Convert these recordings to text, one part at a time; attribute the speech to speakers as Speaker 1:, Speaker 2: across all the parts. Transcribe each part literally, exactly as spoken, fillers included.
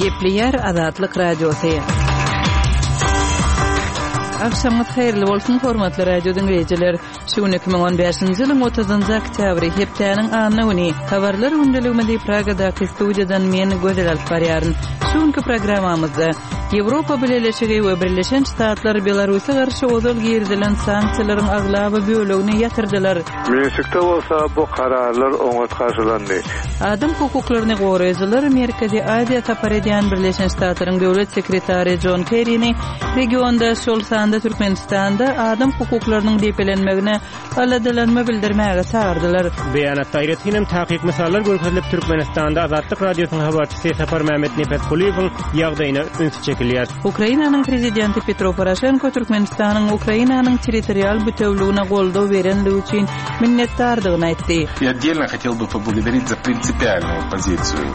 Speaker 1: Gepleýär Azatlyk Radiosy. Agşamyňyz haýyrly bolsun, hormatly radio diňleýjiler. Şu gün iki müň on bäşinji ýylyň otuzynjy oktýabry, hepdäniň anna güni. Habarlar gündeligimizi Pragadaky studiýadan men Gözel alyp barýaryn. Şu günki programmamyzda Ýewropa Bileleşigi we Birleşen Ştatlar Belarusa garşy ozal girizilen sanksiýalaryň aglaba bölegini ýatyrdylar.
Speaker 2: Minskde bolsa bu kararlar oňat garşylandy.
Speaker 1: Adam hukuklaryny goraýjylar Merkezi Aziýa sapar edýän Birleşen Ştatlaryň Döwlet sekretary Jon Kerrini regionda, şol sanda Türkmenistanda adam hukuklarynyň depelenmegine aladalanma bildirmäge çagyrdylar.
Speaker 3: Beýanatda aýratyn hem takyk mysallar görkezilip, Türkmenistanda Azatlyk Radiosynyň habarçysy Saparmämmet Nepesgulyýewiň ýagdaýyna üns çekilýär.
Speaker 1: Ukrainanyň prezidenti Petro Poroşenko Türkmenistanyň Ukrainanyň territorial bütewligine goldaw berenligi üçin minnetdardygyny aýtdy.
Speaker 4: И отдельно хотел бы поблагодарить за принципиальную позицию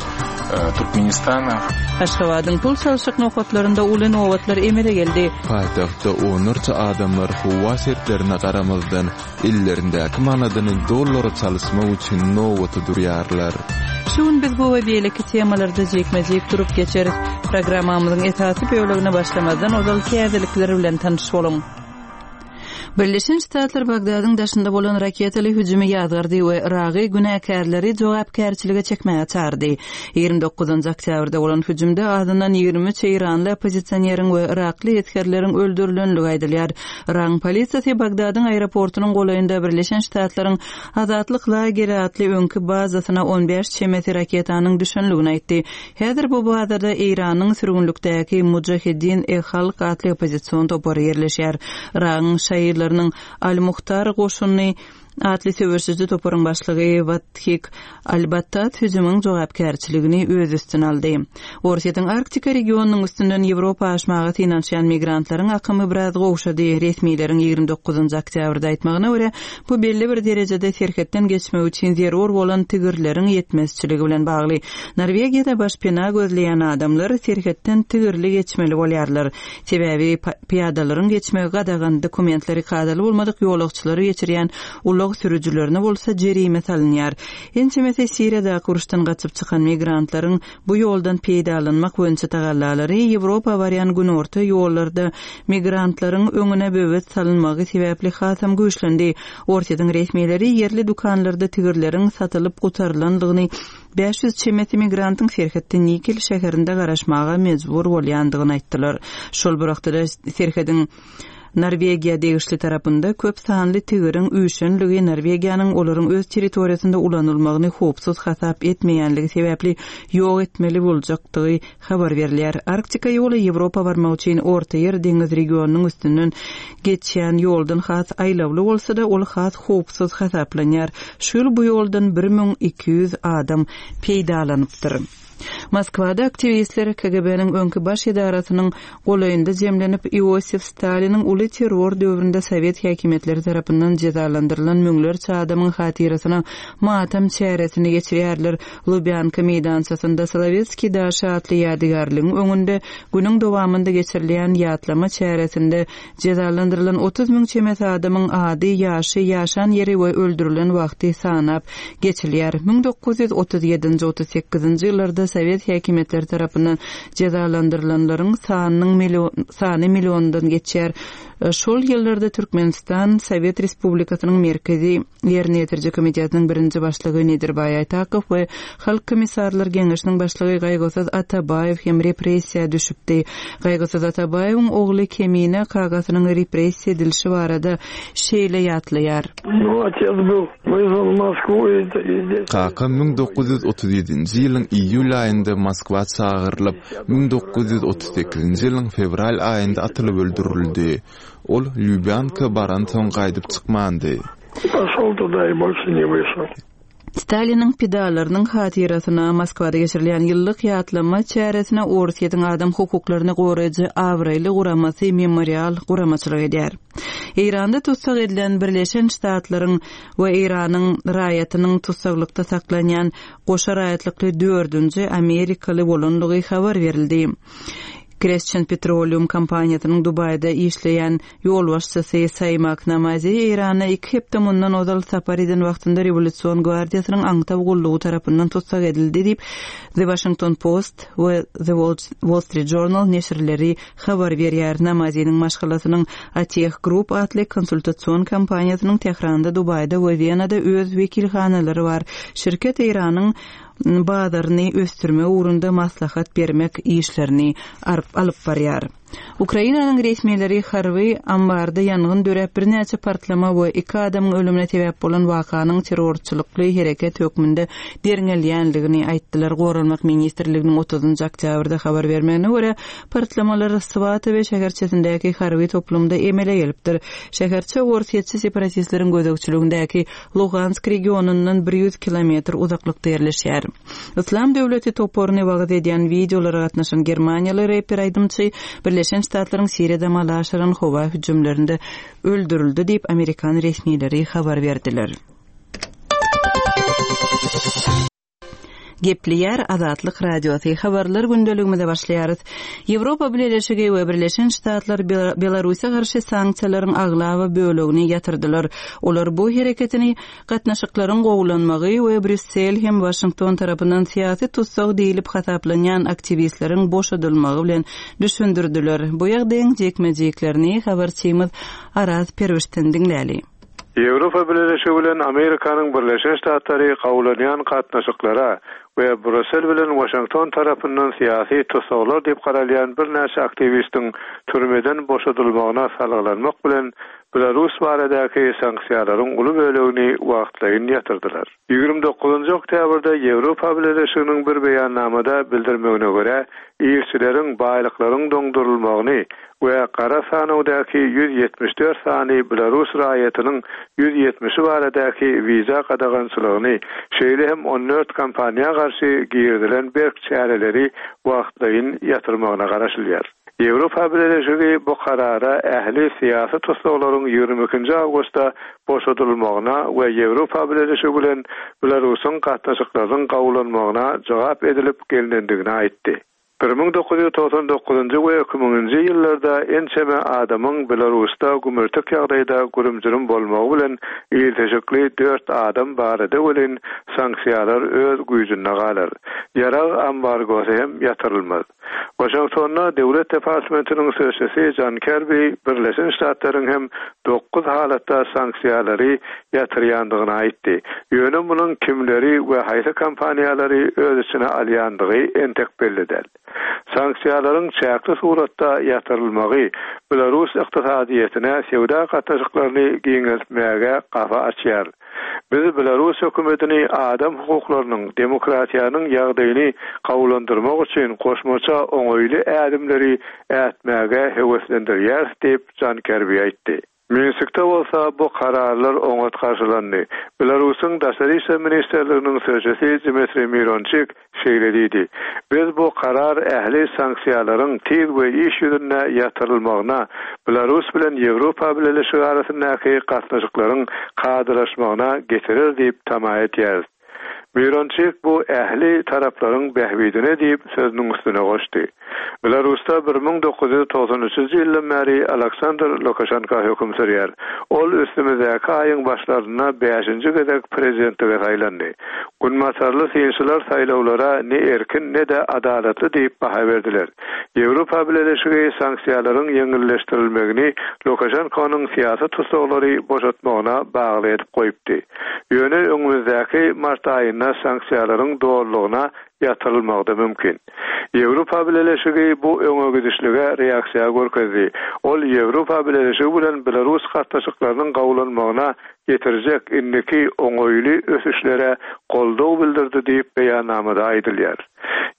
Speaker 4: Туркменистана.
Speaker 1: Aşgabadyň pul çalşyk nokatlarynda uly nobatlar emele geldi.
Speaker 5: Paýtagtda onlarça adamlar howa şertlerine garamazdan, ellerindäki manadyny dollara çalyşmak üçin nobata durýarlar.
Speaker 1: Şu gün biz bu we beýleki temalarda jikme-jik durup geçeris. Programmamyzyň esasy bölegine başlamazdan ozal täzelikler bilen tanyş boluň. Birleşen Ştatlar Bagdadyň daşynda bolan raketaly hüjümi ýazgardy we Yragy günäkärleri jogapkärçilige çekmäge çagyrdy. Ýigrimi dokuzynjy oktýabrda bolan hüjümde azyndan ýigrimi üç eýranly oppozisioneryň we yrakly esgerleriň öldürilenligi aýdylýar. Yragyň polisiýasy Bagdadyň aeroportunyň golaýynda Birleşen Ştatlaryň Azatlyk lageri atly öňki bazasyna on bäş çemesi raketanyň düşenligini aýtdy. Häzir bu bazada Eýranyň sürgünlikdäki Mujahedin-e-Halk atly oppozision topary ýerleşýär. Yragyň şaýylarynyň Al-Muhtar goşuny atly söweşiji toparyň başlygy Wathik Al-Battat hüjümiň jogapkärçiligini öz üstüne aldy. Orsýetiň Arktika regionynyň üstünden Ýewropa aşmaga synanyşýan migrantlaryň akymy biraz gowşady. Resmileriň ýigrimi dokuzynjy oktýabrda aýtmagyna görä, bu belli bir derejede serhetden geçmek üçin zerur bolan tigirleriň ýetmezçiligi bilen bagly. Norwegiýada başpena gözleýän adamlar serhetden tigirli geçmeli bolýarlar. Sebäbi pyýadalaryň geçmegi gadagan dokumentleri kadaly bolmadyk ýolagçylary geçirýän ulag sürüjilerine bolsa jerime salynýar. Ençemesi Siriýadaky uruşdan gaçyp çykan migrantlaryň bu ýoldan peýdalanmak boýunça tagallalary Ýewropa barýan günorta ýollarda migrantlaryň öňüne böwet salynmagy sebäpli hasam güýçlendi. Orsýetiň resmileri ýerli dükanlarda tigirleriň satylyp gutarylandygyny, bäş ýüz çemesi migrantyň serhetde Nikel şäherinde garaşmaga mejbur bolýandygyny aýtdylar. Şol bir wagtda serhediň Norwegiýa degişli tarapynda köp sanly tigiriň üýşenligi Norwegiýanyň olaryň öz territoriýasynda ulanylmagyny howpsuz hasap etmeýänligi sebäpli ýok etmeli boljakdygy habar berilýär. Arktika ýoly Ýewropa barmak üçin Orta Ýer deňiz regionynyň üstünden geçýän ýoldan has aýlawly bolsa-da, ol has howpsuz hasaplanýar. Şu ýyl bu ýoldan bir müň iki ýüz adam peýdalanypdyr. Moskwada aktiwistler K G B-niň öňki baş edarasynyň golaýynda jemlenip, Iosif Staliniň uly terror döwründe Sowet häkimiýetleri tarapyndan jezalandyrylan müňlerçe adamyň hatyrasyna matam çäresini geçirýärler. Lubyanka meýdançasynda Solowetskiý daşy atly ýadygärligiň öňünde günüň dowamynda geçirilýän ýatlama çäresinde jezalandyrylan otuz müň çemesi adamyň ady, ýaşy, ýaşan ýeri we öldürilen wagty sanap geçilýär. Müň dokuz ýüz otuz ýedinji, otuz sekizinji ýyllarda Sowet häkimiýetleri tarapyndan jezalandyrylanlaryň sanynyň million, sany milliondan geçýär. Şol ýyllarda Türkmenistan Sowet Respublikasynyň Merkezi Ýerine Ýetiriji Komitetiniň birinji başlygy Nedirbaý Aýtakow we Halk Komissarlar Geňeşiniň başlygy Gaýgysyz Atabaýew hem repressiýa düşüpdi. Gaýgysyz Atabaýewiň ogly Kemine kagasynyň repressiýa edilişi barada şeýle ýatlaýar.
Speaker 5: Kakam müň dokuz ýüz otuz ýedinji ýylyň iýul aýynda Moskwa çagyrylyp, müň dokuz ýüz otuz sekizinji ýylyň fewral aýynda atylyp öldürildi. Ol Lýubýanka baransoň gaýdyp çykmandy.
Speaker 1: Staliniň pidalarynyň hatyrasyna Moskwada geçirilýän ýyllyk ýatlama çäresine Orsýetiň adam hukuklaryny goraýjy abraýly guramasy Memorial guramaçylyk edýär. Eýranda tussag edilen Birleşen Ştatlaryň we Eýranyň raýatynyň tussaglykda saklanýan goşa raýatlykly dördünji Amerikaly bolanlygy habar berildi. Crescent Petroleum kompaniýasynyň Dubaýda işleýän ýolbaşçysy Saýmak Namazi Eýrana iki hepde mundan ozal sapar eden wagtynda Rewolýusion gwardiýasynyň aňtaw gullugy tarapyndan tussag edildi diýip, The Washington Post we The Wall Street Journal neşirleri habar berýär. Namaziniň maşgalasynyň Ateh Group atly konsultasion kompaniýasynyň Tähranda, Dubaýda we Wenada öz wekilhanalary bar. Şirket Eýranyň bazaryny ösdürmek ugrunda maslahat bermek işlerini alyp barýar. Ukrainanyň resmileri harby ambarda ýangyn döräp birnäçe partlama we iki adamyň ölümine sebäp bolan wakanyň terrorçylykly hereket hökmünde derňelýändigini aýtdylar. Goranmak ministrliginiň otuzynjy oktýabrda habar bermegine görä, partlamalar Swatowe şäherçesindäki harby toplumda emele gelipdir. Şäherçe orsýetçi separatistleriň gözegçiligindäki Lugansk regionyndan bir ýüz kilometr uzaklykda ýerleşýär. Yslam döwleti toparyny wagyz edýän wideolara gatnaşan germaniýaly reper aýdymçy Birleşen Ştatlaryň Siriýada amala aşyran howa hüjümlerinde öldürildi diýip amerikan resmileri habar berdiler. Gepleýär Azatlyk Radiosy. Habarlar gündeligimize başlaýarys. Ýewropa Bileleşigi we Birleşen Ştatlar Belarusa garşy sanksiýalaryň aglaba bölegini ýatyrdylar. Olar bu hereketini gatnaşyklaryň gowulanmagy we Brýussel hem Waşington tarapyndan syýasy tussag diýlip hasaplanýan aktiwistleriň boşadylmagy bilen düşündirdiler. Bu ýagdaýyň jikme-jiklerini habarçymyz Araz Perwişden diňläli.
Speaker 2: Ýewropa Bileleşigi bilen Amerikanyň Birleşen Ştatlary gowulanýan gatnaşyklara we Brýussel bilen Waşington tarapyndan syýasy tussaglar diýip garalýan birnäçe aktiwistiň türmeden boşadylmagyna salgylanmak bilen Belarus baradaky sanksiýalaryň uly bölegini wagtlaýyn ýatyrdylar. Ýigrimi dokuzynjy oktýabrda Ýewropa Bileleşiginiň bir beýannamada bildirmegine görä, işçileriň baýlyklaryň doňdurylmagyny we gara sanawdaky ýüz ýetmiş dört sany Belarus raýatynyň ýüz ýetmişi baradaky wiza gadagançylygyny, şeýle hem on dört kompaniýa garşy girizilen berk çäreleri wagtlaýyn ýatyrmagyna garaşylýar. Ýewropa Bileleşigi bu karara ähli syýasy tussaglaryň ýigrimi ikinji awgustda boşadylmagyna we Ýewropa Bileleşigi bilen Belarusyň gatnaşyklarynyň gowulanmagyna jogap edilip gelinendigini aýtdy. bir müň dokuz ýüz togsan dokuzynjy we iki müňünji ýyllarda ençeme adamyň Belarusda gümürtik ýagdaýda gürüm-jürüm bolmagy bilen ilteşikli dört adam barada welin sanksiýalar öz güýjünde galar. Ýarag ambargosy hem ýatyrylmaz. Waşingtonda Döwlet departamentiniň sözçüsi John Kirby Birleşen Ştatlaryň hem dokuz halatda sanksiýalary ýatyrýandygyny aýtdy. Ýöne munuň kimleri we haýsy kompaniýalary öz içine alýandygy entek belli däl. Sanksiýalaryň çäkli suratda ýatyrylmagy Belarus ykdysadyýetine söwda gatnaşyklaryny giňeltmäge gapa açýar. Biz Belarus hökümetini adam hukuklarynyň, demokratiýanyň ýagdaýyny gowulandyrmak üçin goşmaça oňaýly ädimleri ätmäge höweslendirýär diýip John Kirby aýtdy. Minskde bolsa bu kararlar oňat garşylandy. Belarusyň Daşary işler ministrliginiň sözçüsi Dmitriý Mironçik şeýle diýdi. Biz bu karar ähli sanksiýalaryň tiz we iş ýüzünde ýatyrylmagyna, Belarus bilen Ýewropa Bileleşigi arasyndaky gatnaşyklaryň kadalaşmagyna getirer diýip tama etýäris. Mironçik bu ähli taraplaryň bähbidine diýip sözüniň üstüne goşdy. Belarusda bir müň dokuz ýüz togsan üçünji ýyldan bäri Aleksandr Lukaşenko höküm sürýär. Ol üstümizdäki aýyň başlarynda bäşinji gezek prezidentlige saýlandy. Günbatarly synçylar saýlawlara ne erkin ne-de adalatly diýip baha berdiler. Ýewropa Bileleşigi sanksiýalaryň ýeňilleşdirilmegini Lukaşenkonyň syýasy tutsaglary boşatmagyna bagly edip goýupdy. Ýöne öňümizdäki mart aýynda sanksiýalaryň dolulygyna ýatyrylmagy da mümkin. Ýewropa Bileleşigi bu öňe gidişlige reaksiýa görkezdi. Ol Ýewropa Bileleşigi bilen Belarus gatnaşyklarynyň gowulanmagyna getirjek indiki oňaýly ösüşlere goldaw bildirdi diýip beýannamada aýdylýar.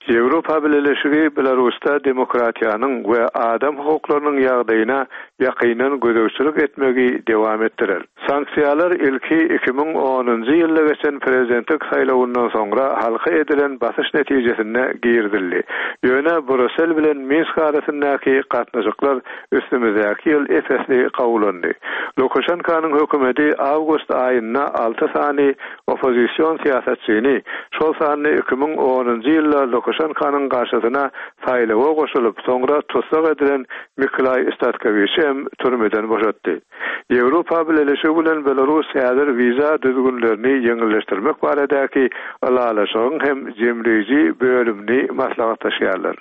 Speaker 2: Ýewropa Bileleşigi Belarusda demokratiýanyň we adam hukuklarynyň ýagdaýyna ýakyndan gözegçilik etmegi dowam etdirer. Sanksiýalar ilki iki müň onunjy ýylda geçen prezidentlik saýlawyndan soňra halka edilen basyş netijesinde girizildi. Ýöne Brýussel bilen Minsk arasyndaky gatnaşyklar üstümizdäki ýyl ep-esli gowulandy. Lukaşenkonyň hökümeti awgust aýynda alty sany oppozision syýasatçyny, şol sanda iki müň onunjy ýylda Lukaşenko Lukaşenkanyň garşysyna saýlawa goşulyp, soňra tussag edilen Miklaý Statkowiçi hem türmeden boşatdy. Ýewropa Bileleşigi bilen Belarus häzir wiza düzgünlerini ýeňilleşdirmek baradaky ylalaşygyň hem jemleýji bölümini maslahatlaşýarlar.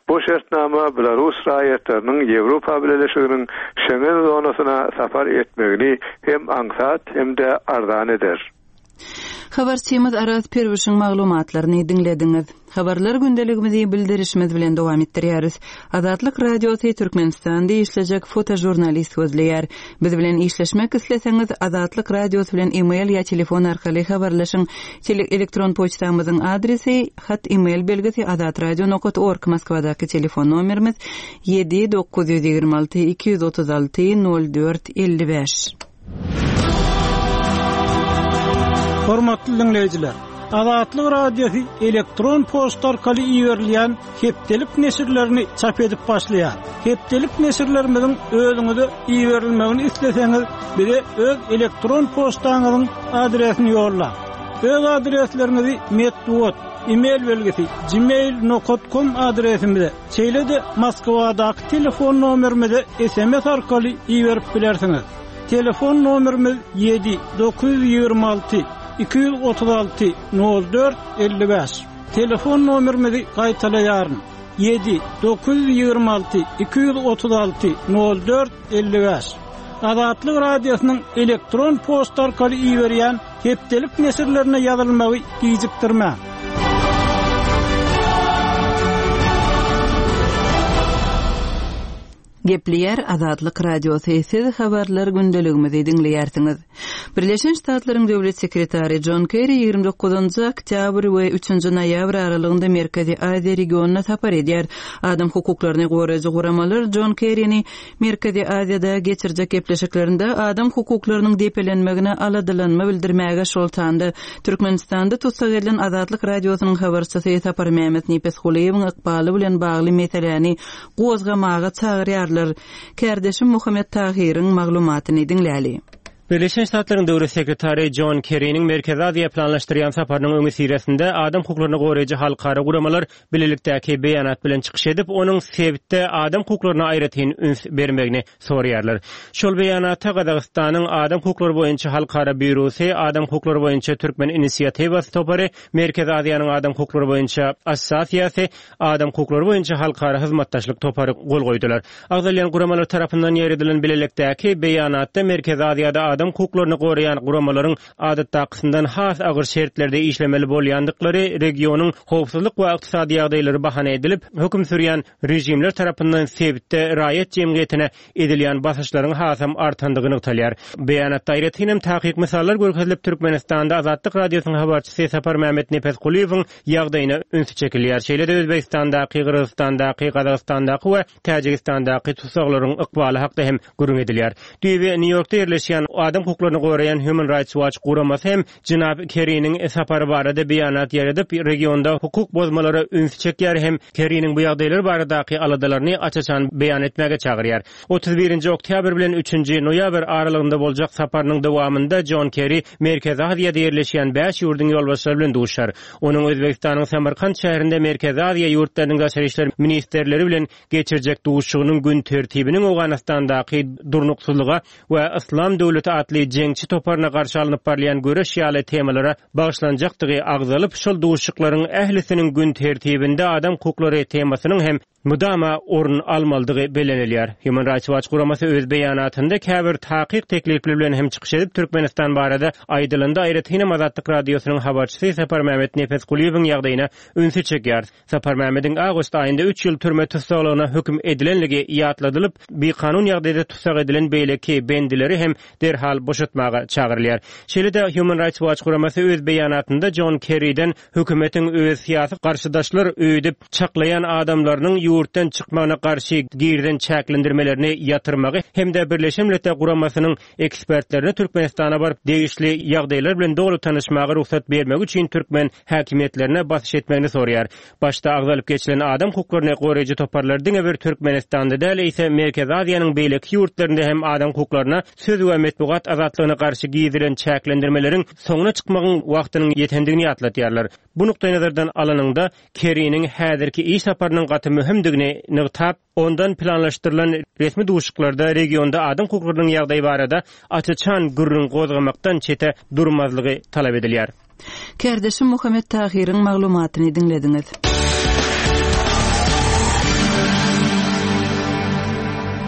Speaker 2: Bu şertnama Belarus raýatlarynyň Ýewropa Bileleşiginiň Şengen zonasyna sapar etmegini hem aňsat hem-de arzan eder.
Speaker 1: Habarçymyz Araz Perwişiň maglumatlaryny diňlediňiz. Habarlar gündeligimizi bildirişimiz bilen dowam etdirýäris. Azatlyk Radiosy Türkmenistanda işlejek fotožurnalist gözleýär. Biz bilen işleşmek isleseňiz Azatlyk Radiosy bilen e-mail ýa telefon arkaly habarlaşyň. Tele elektron poçtamyzyň adresi hat e-mail belgisi azatradio nokat org Moskwadaky telefon nomerimiz ýedi dokuz ýüz ýigrimi alty iki ýüz otuz alty nol dört elli bäş.
Speaker 6: Hormatly dinleýjiler, Azatlyk Radiosy elektron poçta arkaly iberilýän hepdelik neşirlerini çap edip başlaýar. Hepdelik neşirlerimiziň özüňize iberilmegini isleseňiz, bize öz elektron poçtaňyzyň adresini ýollaň. Öz adresleriňizi metbugat, e-mail belgisi gmail nokta com adresimize, şeýle-de Moskwadaky telefon nomerimize S M S arkaly iberip bilersiňiz. Telefon nomerimiz ýedi dokuz ýüz ýigrimi alty iki ýüz otuz alty nol dört elli bäş. Telefon nomerimizi gaýtalaýaryn. Ýedi dokuz ýüz ýigrimi alty iki ýüz otuz alty nol dört elli bäş. Azatlyk Radiosynyň elektron poçta arkaly iberýän hepdelik neşirlerine ýazylmagy gijikdirmäň.
Speaker 1: Gepleýär Azatlyk Radiosy, siz habarlar gündeligimizi diňleýärsiňiz. Birleşen Ştatlaryň Döwlet Sekretary John Kerry ýigrimi dokuzynjy oktýabr we üçünji noýabr aralygynda Merkezi Aziýa regionyna sapar edýär. Adam hukuklaryny goraýjy guramalar John Kerryni Merkezi Aziýada geçirjek gepleşiklerinde adam hukuklarynyň depelenmegine aladalanma bildirmäge şol sanda Türkmenistanda tussag edilen Azatlyk Radiosynyň habarçysy Saparmämmet Nepesgulyýewiň ykbaly bilen bagly meseläni gozgamaga çagyrýarlar. Kärdeşim Muhammet Tahiriň maglumatyny diňläli.
Speaker 3: Birleşen Ştatlaryň Döwlet Sekretary John Kerry'niň Merkezi Aziýa planlaşdyrýan saparynyň öňi syrasynda adam hukuklaryny goraýjy halkara guramalar bilelikdäki beýanat bilen çykyş edip, onuň sebitde adam hukuklaryna aýratyn üns bermegini soraýarlar. Şol beýanata Gazagystanyň Adam hukuklary boýunça halkara býurosy, Adam hukuklary boýunça Türkmen inisiatiwasy topary, Merkezi Aziýanyň Adam hukuklary boýunça assosiasiýasy, Adam hukuklary boýunça halkara hyzmatdaşlyk topary gol goýdular. Agzalýan guramalar tarapyndan ýeredilen bilelikdäki beýanatda Merkezi Aziýada adam hukuklaryny goraýan guramalaryň adatdakysyndan has agyr şertlerde işlemeli bolýandyklary, regionyň howpsuzlyk we ykdysady ýagdaýlary bahana edilip, höküm sürýän rejimler tarapyndan sebitde raýat jemgyýetine edilýän basyşlaryň hasam artandygy nygtalýar. Beýanatda aýratyn hem takyk misallar görkezilip, Türkmenistanda Azatlyk Radiosynyň habarçysy Saparmämmet Nepesgulyýewiň ýagdaýyna ünsi çekilýär. Şeýle-de Özbegistandaky, Gyrgyzystandaky, Gazagystandaky we Täjigistandaky tussaglaryň ykbaly hakda hem gürrüň edilýär. Düýbi Nýu-Ýorkda ýerleşýän adam hukuklaryny goraýan Human Rights Watch guramasy hem Jenap Kerry'niň sapary barada beýanat ýaýradyp, regionda hukuk bozmalara üns çekýär hem Kerry'niň bu ýagdaýlar baradaky aladalaryny aç-açan beýan etmäge çagyrýar. Otuz birinji oktýabr bilen üçünji noýabr aralygynda boljak saparynyň dowamynda John Kerry Merkezi Aziýada ýerleşýän bäş ýurduň ýolbaşçylary bilen duşar. Onuň Özbegistanyň Samarkand şäherinde Merkezi Aziýa ýurtlarynyň daşary işler ministerleri bilen geçirjek duşuşygynyň gün tertibiniň Owganystandaky durnuksyzlyga we Islam döwleti atly jeňçi toparyna garşy alnyp barylýan göreş ýaly temalara bagyşlanjakdygy agzalyp, şol duşuşyklaryň ählisiniň gün tertibinde adam hukuklary temasynyň hem mudama orun almalydygy bellenilýär. Human Rights Watch guramasy öz beýanatynda käbir takyk teklipler bilen hem çykyş edip, Türkmenistan barada aýdylanda aýratyn hem Azatlyk Radiosynyň habarçysy Saparmämmet Nepesgulyýewiň ýagdaýyna ünsi çekýär. Saparmämmediň awgust aýynda üç ýyl türme tussaglygyna höküm edilenligi ýatladylyp, bikanun ýagdaýda tussag edilen beýleki bendileri hem derhal boşatmaga çagyrylýar. Şeýle-de Human Rights Watch guramasy öz beýanatynda John Kerry'den hökümetiň öz syýasy garşydaşlar öýdüp çaklaýan adamlarynyň ýurtdan çykmagyna garşy girizen çäklendirmelerini ýatyrmagy hem-de Birleşen Milletler Guramasynyň ekspertlerine Türkmenistana baryp degişli ýagdaýlar bilen doly tanyşmaga rugsat bermegi üçin türkmen häkimiýetlerine basyş etmegini soraýar. Başda agzalyp geçilen adam hukuklaryny goraýjy toparlar diňe bir Türkmenistanda däl, eýse Merkezi Aziýanyň beýleki ýurtlarynda hem adam hukuklaryna söz we metbugat azatlygyna garşy girizilen çäklendirmeleriň soňuna çykmagyň wagtynyň ýetendigini ýatlatýarlar. Bu nukdaýnazardan alanyňda Keriniň häzirki iş saparynyň gaty möhümdigini nygtap, ondan planlaşdyrylan resmi duşuşyklarda regionda adam hukuklarynyň ýagdaýy barada açyçan gürrüň gozgamakdan çete durmazlygy talap edilýär.
Speaker 1: Kärdeşim Muhammet Tahyryň maglumatyny diňlediňiz.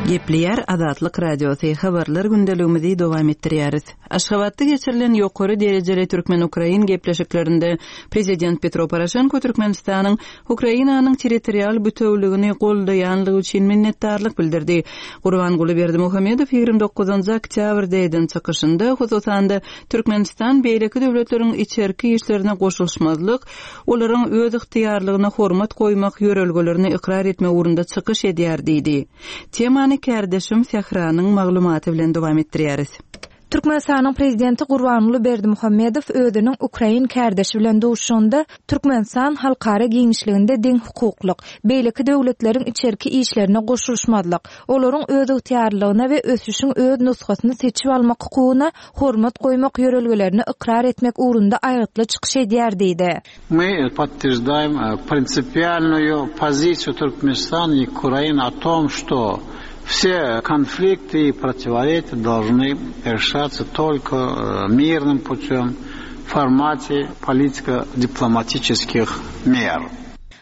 Speaker 1: Gepleýär Azatlyk Radiosy habarlar gündeligimizi dowam etdirýäris. Aşgabatda geçirilen ýokary derejeli türkmen-ukrain gepleşiklerinde Prezident Petro Poroşenko Türkmenistanyň Ukrainanyň territorial bütewligini goldaýanlygy üçin minnetdarlyk bildirdi. Gurbanguly Berdimuhamedow ýigrimi dokuzynjy oktýabrda eden çykyşynda, hususan-da Türkmenistan beýleki döwletleriň içerki işlerine goşulyşmazlyk, olaryň öz ygtyýarlygyna hormat goýmak ýörelgelerini ykrar etmek ugrunda çykyş edýär diýdi. Temany kärdeşim Sähranyň maglumaty bilen dowam etdirýäris.
Speaker 7: Türkmenistanyň prezidenti Gurbanguly Berdimuhamedow özüniň ukrain kärdeşi bilen duşuşanda Türkmenistan halkara giňişliginde deň hukuklyk, beýleki döwletleriň içerki işlerine goşulyşmazlyk, olaryň öz ygtyýarlygyna we ösüşiň öz nusgasyny seçip almak hukugyna hormat goýmak ýörelgelerini ykrar etmek ugrunda aýgytly çykyş edýär diýdi.
Speaker 8: Мы подтверждаем принципиальную позицию Туркменистана и Украины о том, что все конфликты и противоречия должны решаться только мирным путем в формате политико-дипломатических мер.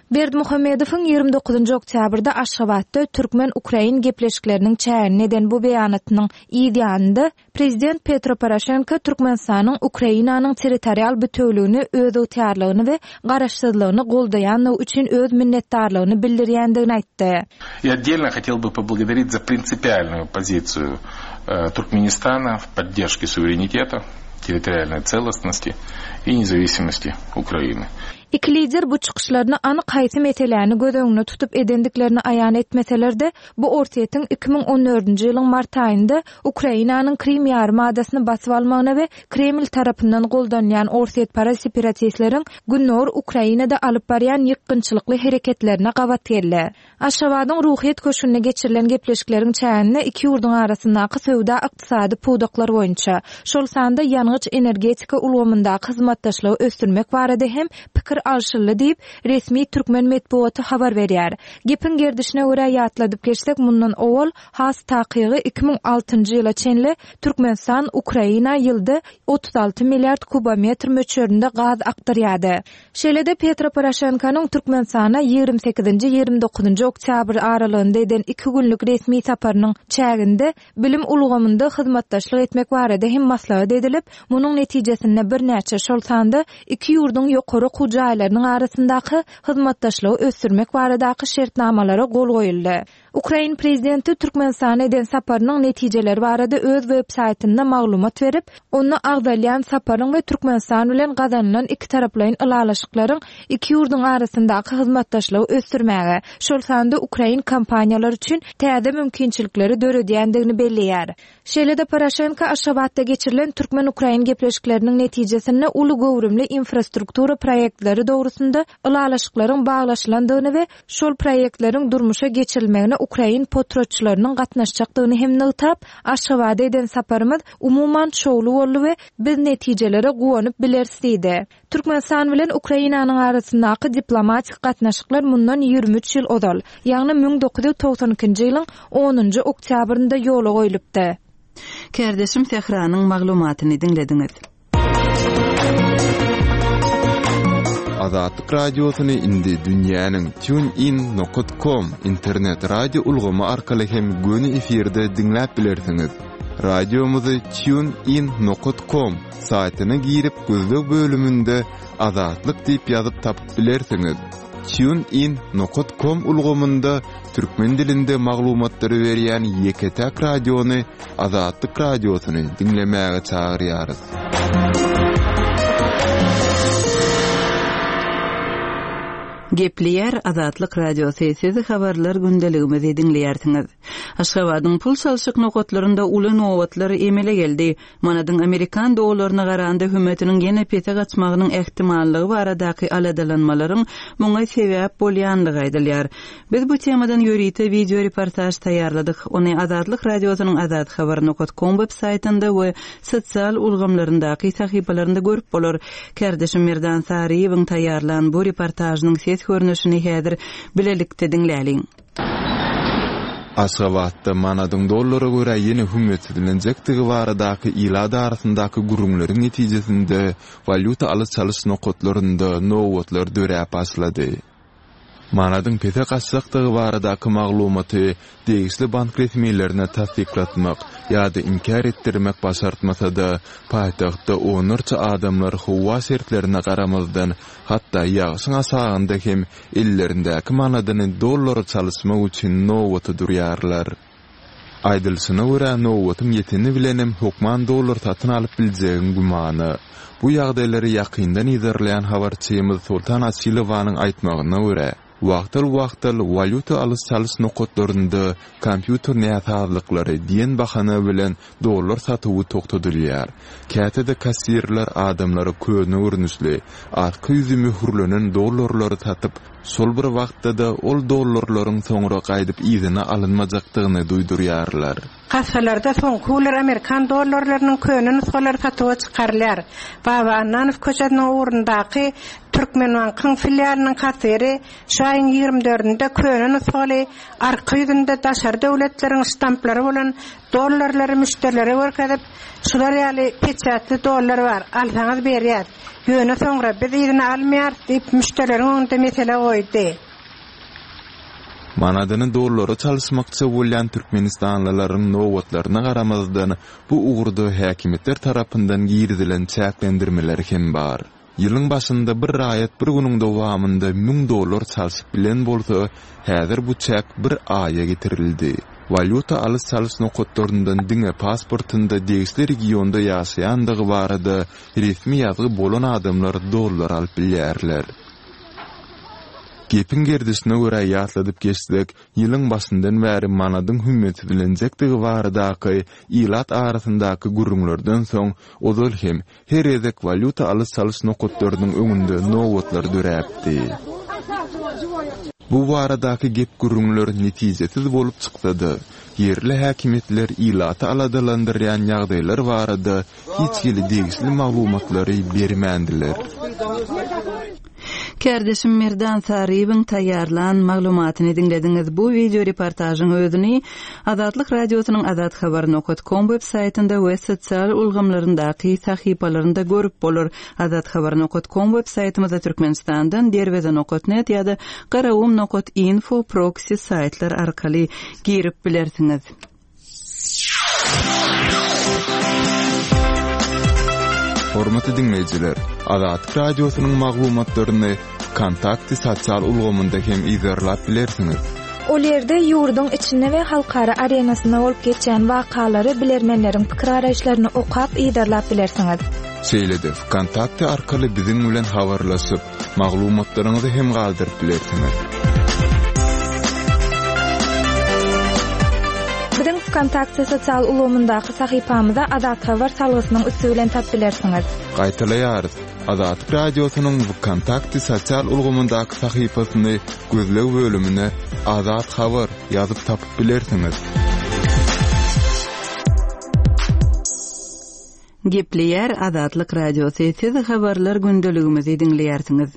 Speaker 7: Berdimuhamedowyň ýigrimi dokuzynjy oktýabrda Aşgabatda türkmen-ukrain gepleşikleriniň çäginde eden bu beýanatynyň yz ýanynda Prezident Petro Poroşenko Türkmenistanyň Ukrainanyň territorial bütewligini, özygtyýarlygyny we garaşsyzlygyny goldaýanlygy üçin öz minnetdarlygyny bildirýändigini aýtdy.
Speaker 4: Я отдельно хотел бы поблагодарить за принципиальную позицию, э, Туркменистана в поддержке суверенитета, территориальной целостности и независимости Украины.
Speaker 7: Iki lider bu çykyşlaryny anyk haýsy meseläni göz öňüne tutup edendiklerini aýan etmeseler-de, bu Orsýetiň iki müň on dördünji ýylyň mart aýynda Ukrainanyň Krim ýarymadasyny basyp almagyna we Kreml tarapyndan goldanýan Orsýetparaz separatistleriň Gündogar Ukrainada alyp barýan ýykgynçylykly hereketlerine gabat geldi. Aşgabadyň Ruhyýet köşgünde geçirilen gepleşikleriň çäginde iki ýurduň arasyndaky söwda ykdysady pudaklar boýunça, şol sanda ýangyç energetika ulgamyndaky hyzmatdaşlygy ösdürmek barada hem pikir alşyldy diýip, resmi türkmen metbugaty habar berýär. Gepiň gerdişine görä ýatladyp geçsek, mundan owal has takygy iki müň altynjy ýyla çenli Türkmenistan Ukraina ýylda otuz alty milliard kubometr möçberinde gaz akdyrýardy. Şeýle-de Petro Poroşenkonyň Türkmenistana ýigrimi sekizinji ýigrimi dokuzynjy oktýabr aralygynda eden iki günlük resmi saparynyň çäginde bilim ulgamynda hyzmatdaşlyk etmek barada hem maslahat edilip, munuň netijesinde birnäçe şol sanda iki ýurduň ýokary okuw jaýlarynyň arasyndaky hyzmatdaşlygy ösdürmek baradaky şertnamalara gol goýuldy. Ukrain prezidenti Türkmenistana eden saparynyň netijeleri barada öz web saýtynda maglumat berip, onda agzalýan saparyň we Türkmenistan bilen gazanylan iki taraplaýyn ylalaşyklaryň iki ýurduň arasyndaky hyzmatdaşlygy ösdürmäge, şol sanda ukrain kompaniýalary üçin täze mümkinçilikleri döredýändigini belleýär. Şeýle-de Poroşenko Aşgabatda geçirilen türkmen-ukrain gepleşikleriniň netijesinde uly göwrümli infrastruktura proýektleri dogrusynda ylalaşyklaryň baglaşylandygyny we şol proýektleriň durmuşa geçirilmegine ukrain potratçylarynyň gatnaşjakdygyny hem nygtap, Aşgabada eden saparymyz umuman şowly boldy we biz netijelere guwanyp bileris diýdi. Türkmenistan bilen Ukrainanyň arasyndaky diplomatik gatnaşyklar mundan ýigrimi üç ýyl ozal, ýagny müň dokuz ýüz togsan ikinji ýylyň onunjy oktýabrynda ýola goýlupdy.
Speaker 1: Kärdeşim Sähranyň maglumatyny diňlediňiz.
Speaker 5: Azatlyk radiosyny indi dünýäniň tunein nokta com internet radio ulgamy arkaly hem göni efirde diňläp bilersiňiz. Radiomyzy tunein nokta com saýtyna girip gözleg bölüminde Azatlyk diýip ýazyp tapyp bilersiňiz. Tunein nokta com ulgamynda türkmen dilinde maglumatlary berýän ýeke-täk radiony Azatlyk radiosyny diňlemäge çagyrýarys.
Speaker 1: Gepleýär Azatlyk Radiosy, siz habarlar gündeligimizi diňleýärsiňiz. Aşgabadyň pul çalşyk nokatlarynda uly nobatlar emele geldi. Manadyň amerikan dollaryna garanda hümmetiniň ýene pese gaçmagynyň ähtimallygy baradaky aladalanmalaryň muňa sebäp bolýandygy aýdylýar. Biz bu temadan ýörite wideo reportaž taýýarladyk. Ony Azatlyk Radiosynyň azathabar.com web saýtynda we sosial ulgamlaryndaky sahypalarynda görüp bolar. Kärdeşim Merdan Saryýewiň taýýarlan bu reportažynyň ses görnüşini häzir bilelikde diňläliň.
Speaker 5: Aşgabatda manadyň dollara görä ýene hümmetsizlenjekdigi baradaky ilat arasyndaky gürrüňleriň netijesinde walýuta alyş-çalyş nokatlarynda nobatlar döräp başlady. Manadyň pese gaçjakdygy baradaky maglumaty degişli bank resmilerine tassyklatmak ýa-da inkär etdirmek başartmasa-da, paýtagtda onlarça adamlar howa şertlerine garamazdan, hatda ýagyşyň aşagynda hem ellerindäki manadyny dollara çalyşmak üçin nobata durýarlar. Aýdylyşyna görä, nobatyň ýeteni bilenem hökman dollar satyn alyp biljegiň gümana. Bu ýagdaýlary ýakyndan yzarlaýan habarçymyz Soltan Açylowanyň aýtmagyna görä, wagtal-wagtal walýuta alyş-çalyş nokatlarynda kompýuter näsazlyklary diýen bahana bilen dollar satuwy togtadylýar. Käte-de kassirler adamlara köne görnüşli, arka ýüzi möhürlenen dollarlary satyp, şol bir wagtda-da ol dollarlaryň soňra gaýdyp yzyna alynmajakdygyny duýdurýarlar.
Speaker 9: Kassalarda soňky günler amerikan dollarlarynyň köne nusgalary satuwa çykarylýar. Baba Annanow köçesiniň ugrundaky Türkmenbankyň filialynyň kassiri şu aýyň ýigrimi dördünde köne nusgaly arka ýüzünde daşary döwletleriň ştamplary bolan dollarlary müşderilere görkezip, şular ýaly peçatly dollar bar, alsaňyz berýär. Ýöne soňra biz yzyna almaýarys diýip müşderileriň öňünde mesele goýdy.
Speaker 5: Manadyny dollara çalyşmakçy bolýan türkmenistanlylaryň nobatlaryna garamazdan bu ugurda häkimiýetler tarapyndan girizilen çäklendirmeler hem bar. Ýylyň başynda bir raýat bir günüň dowamynda müň dollar çalşyp bilen bolsa, häzir bu çäk bir aýa getirildi. Walýuta alyş-çalyş nokatlaryndan diňe pasportynda degişli regionda ýaşaýandygy barada resmi ýazgy bolan adamlar dollar alyp bilýärler. Gepiň gerdişine görä ýatladyp geçsek, ýylyň başyndan bäri manadyň hümmetsizlenjekdigi baradaky ilat arasyndaky gürrüňlerden soň ozal hem her gezek walýuta alyş-çalyş nokatlarynyň öňünde nobatlar döräpdi. Bu baradaky gep gürrüňler netijesiz bolup çyksa-da, ýerli häkimiýetler ilaty aladalandyrýan ýagdaýlar barada hiç hili degişli maglumatlary bermändiler.
Speaker 1: Kärdeşim Merdan Saryýewiň taýýarlan maglumatyny diňlediňiz. Bu wideo reportažyň özüni Azatlyk Radiosynyň azathabar.com web saýtynda we sosial ulgamlaryndaky sahypalarynda görüp bolar. Azathabar.com web saýtymyzda Türkmenistandan derweze.net ýa-da garagum.info proxy saýtlar arkaly girip bilersiňiz.
Speaker 5: Hormatly diňleýjiler, Azatlyk Radiosynyň maglumatlaryny Kontakty sosial ulgamynda hem yzarlap bilersiňiz.
Speaker 7: Ol ýerde ýurduň içinde we halkara arenasynda bolup geçýän wakalary bilermenleriň pikir araýyşlaryny okap yzarlap bilersiňiz.
Speaker 5: Şeýle-de Kontakty arkaly biziň bilen habarlaşyp, maglumatlaryňyzy hem galdyryp bilersiňiz.
Speaker 7: Biziň Kontakty sosial ulgamyndaky sahypamyza Azat Habar salgysynyň üsti bilen tap bilersiňiz.
Speaker 5: Gaýtalaýarys. Azatlyk Radiosynyň Kontakty sosial ulgamyndaky sahypasyny gözleg bölümine Azat Habar ýazyp tapyp bilersiňiz.
Speaker 1: Gepleýär Azatlyk Radiosy. Siz habarlar gündeligimizi diňleýärsiňiz.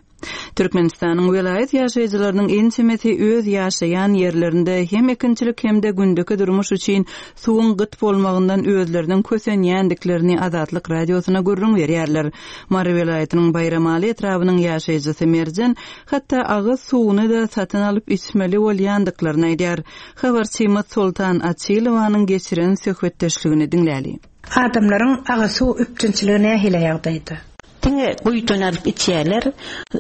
Speaker 1: Türkmenistanyň welaýat ýaşaýjylarynyň ençemesi öz ýaşaýan ýerlerinde hem ekinçilik hem-de gündeki durmuş üçin suwuň gyt bolmagyndan özleriniň kösenýändiklerini Azatlyk Radiosyna gürrüň berýärler. Mary welaýatynyň Baýramaly etrabynyň ýaşaýjysy Merjen hatda agyz suwuny da satyn alyp içmeli bolýandyklaryny aýdýar. Habarçymyz Soltan Açylowanyň geçiren söhbetdeşligini diňläli.
Speaker 9: Adamlaryň agyz suw üpjünçiligi nähili ýagdaýda?
Speaker 10: Diňe guýudan alyp içýärler,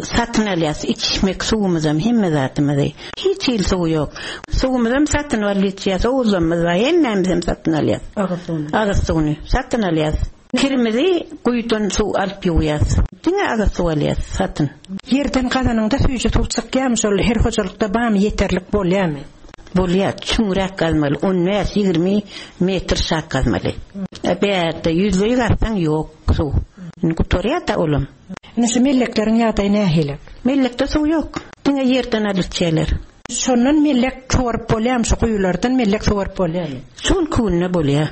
Speaker 10: satyn alýas, içmek suwumyzam hemme zatymyzy. Hiç hil suw ýok. Suwumyzam satyn alyp içýäs, owuzlamyz bar, hemmämizem satyn alýas.
Speaker 9: Agyz suwuny.
Speaker 10: Agyz suwuny satyn alýas. Kirimizi guýudan suw alyp ýuwýas. Diňe agyz suw alýas satyn.
Speaker 9: Ýerden gazanyňda süýji suw çykýarmy şol her hojalykda barmy ýeterlik bolýarmy?
Speaker 10: Bolýar, çuňrak gazmaly, on bäş ýigrimi metr şak gazmaly. Bärde ýüzleý gazsaň ýok suw. Indi gutarýar-da olam.
Speaker 9: Indi şu mellekleriň ýagdaýy nähili?
Speaker 10: Mellekde suw ýok. Diňe ýerden alyp içýärler.
Speaker 9: Şondan mellek suwaryp bolýarmy, şu guýulardan mellek suwaryp bolýarmy?
Speaker 10: Şu günki günde bolýar.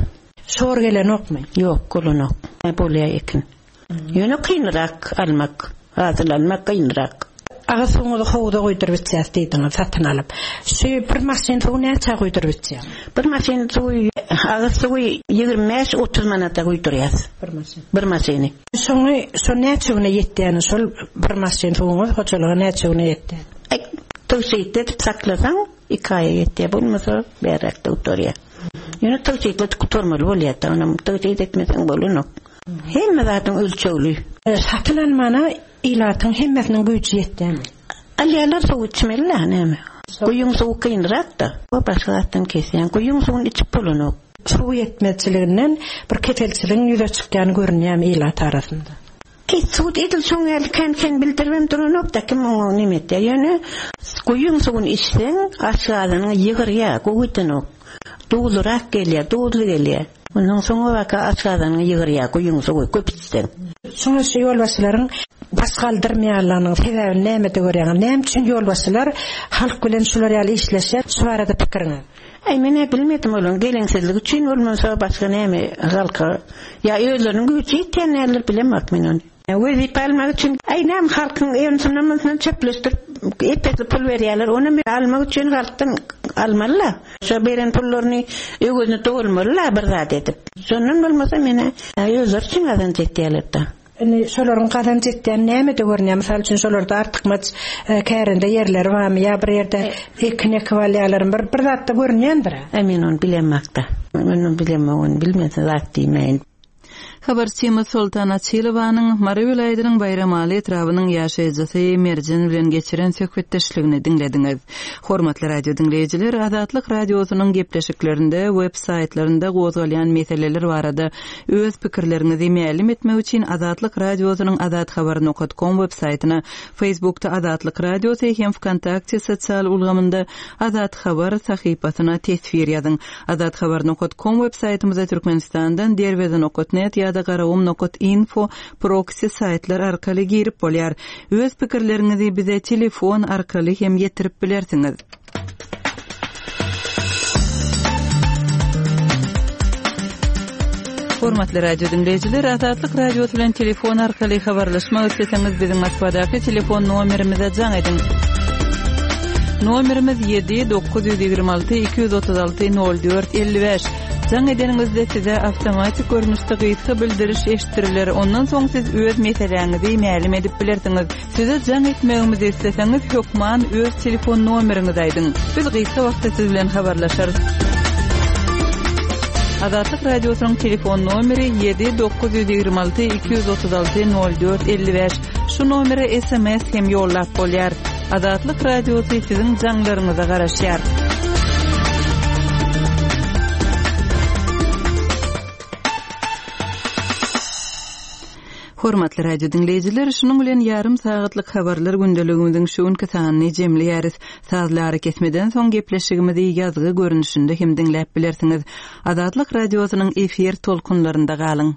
Speaker 9: Şor gelenokmy?
Speaker 10: Ýok, gelenok. Bolýar ekin. Ýöne kynrak almak, hasyl almak kynrak.
Speaker 9: Agyz suwuňyzy howuza guýduryp içýäs diýdiňiz, satyn alyp. Şu bir maşyn suwy näçä guýduryp içýäň?
Speaker 10: Bir maşyn suwy, agyz suwy ýigrimi bäş otuz manata guýdurýas.
Speaker 9: Bir maşyn.
Speaker 10: Bir maşyny.
Speaker 9: Şoňy, şo näçe güne ýetýäni, şol bir maşyn suwuňyz hojalyga näçe güne ýetýär?
Speaker 10: Aý, tygşytly edip saklasaň, iki aýa ýetýär, bolmasa bäräkde gutarýar. Ýöne tygşytly gutarmaly bolýar-da, onam tygşyt etmeseň bolanok. Hemme zadyň ölçegli.
Speaker 9: E, satyn almana ilatyň hemmesiniň güýji ýetýärmi?
Speaker 10: Alýarlar suw içmeli-dä, näme? Guýuň suwy kynrak-da. O başga zatdan kesýän. Guýuň suwuny içip bolanok.
Speaker 9: Suw ýetmezçiliginden bir keselçiligiň ýüze çykýany görünýärmi ilat arasynda?
Speaker 10: Ki suw edil şoň ýaly kän-kän bildiribem duranok-da, kim oňa neme etýär. Ýöne guýuň suwuny içseň, aşgazanyňa ýygyrýar, gowy edenok. Duzlurak gelýär, duzly gelýär. Ondan soňra baka aşgazanyňa ýygyrýar, guýuň suwy köp içseň.
Speaker 9: Şoňa şu ýolbaşçylaryň baş galdyrmaýanlygynyň sebäbini nämede görýäňiz? Näme üçin ýolbaşçylar halk bilen şular ýaly işleşýär? Şu barada pikiriňiz?
Speaker 10: Aý, men bilmedim onuň geleňsizlik üçin bolmasa başga näme halka ýa özleriniň güýji ýetýän näler bilemok men ony. Wezipe almak üçin, aý, näme halkyň ýönsünden mundan çöpleşdirip epesli pul berýärler, ony almak üçin halkdan almaly-la. Şo beren pullaryny öwezini dolmaly-la bir zat edip. Şondan bolmasa meni özleri üçin gazanç etýärler-de.
Speaker 9: Indi şolaryň gazanç etýän nämede görünýär? Mysal üçin şolarda artykmaç, e, kärende ýerleri barmy ýa bir ýerde ekin ekip alýarlar, bir, bir zatda görünýändir.
Speaker 10: Aý, men ony bilemok-da. Men ony bilemok, ony bilmese zat diýmeýin.
Speaker 1: Habarçymyz Soltan Açylowanyň Mary welaýatynyň Baýramaly etrabynyň ýaşaýjysy Merjen bilen geçiren söhbetdeşligini diňlediňiz. Hormatly radio diňleýjiler, Azatlyk radiosynyň gepleşiklerinde, web saýtlarynda gozgalýan meseleler barada öz pikirleriňizi mälim etmek üçin Azatlyk radiosynyň azathabar nokta com web saýtyna, Facebookda Azatlyk radiosy hem Vkontakte sosial ulgamynda Azat Habar sahypasyna teswir ýazyň. Azathabar nokta com web saýtymyzda Türkmenistandan derweze nokta net ýa-da garagum nokta info proxy saýtlar arkaly girip bolýar. Öz pikirleriňizi bize telefon arkaly hem ýetirip bilersiňiz. Hormatly radio diňleýjiler, Azatlyk radiosy bilen telefon arkaly habarlaşmak isleseňiz biziň Moskwadaky telefon nomerimize jaň ediň. Nomerimiz ýedi dokuz ýüz ýigrimi alty iki ýüz otuz alty nol dört elli bäş. Jaň edeniňizde size awtomatik görnüşde gysga bildiriş eşitdiriler. Ondan soň siz öz meseläňizi mälim edip bilersiňiz. Size jaň etmegimizi isleseňiz hökman öz telefon nomeriňizi aýdyň. Biz gysga wagtda siz bilen habarlaşarys. Azatlyk radiosynyň telefon nomeri ýedi dokuz ýüz ýigrimi alty iki ýüz otuz alty nol dört elli bäş. Şu nomere S M S hem ýollap bolýar. Azatlyk radiosy siziň jaňlaryňyza garaşýar. Hormatly radio diňleýjiler, şunuň bilen ýarym sagatlyk habarlar gündeligimiziň şu günki sanyny jemleýäris. Sazlary kesmeden soň gepleşigimizi ýazgy görnüşinde hem diňläp bilersiňiz. Azatlyk radiosynyň efir tolkunlarynda galyň.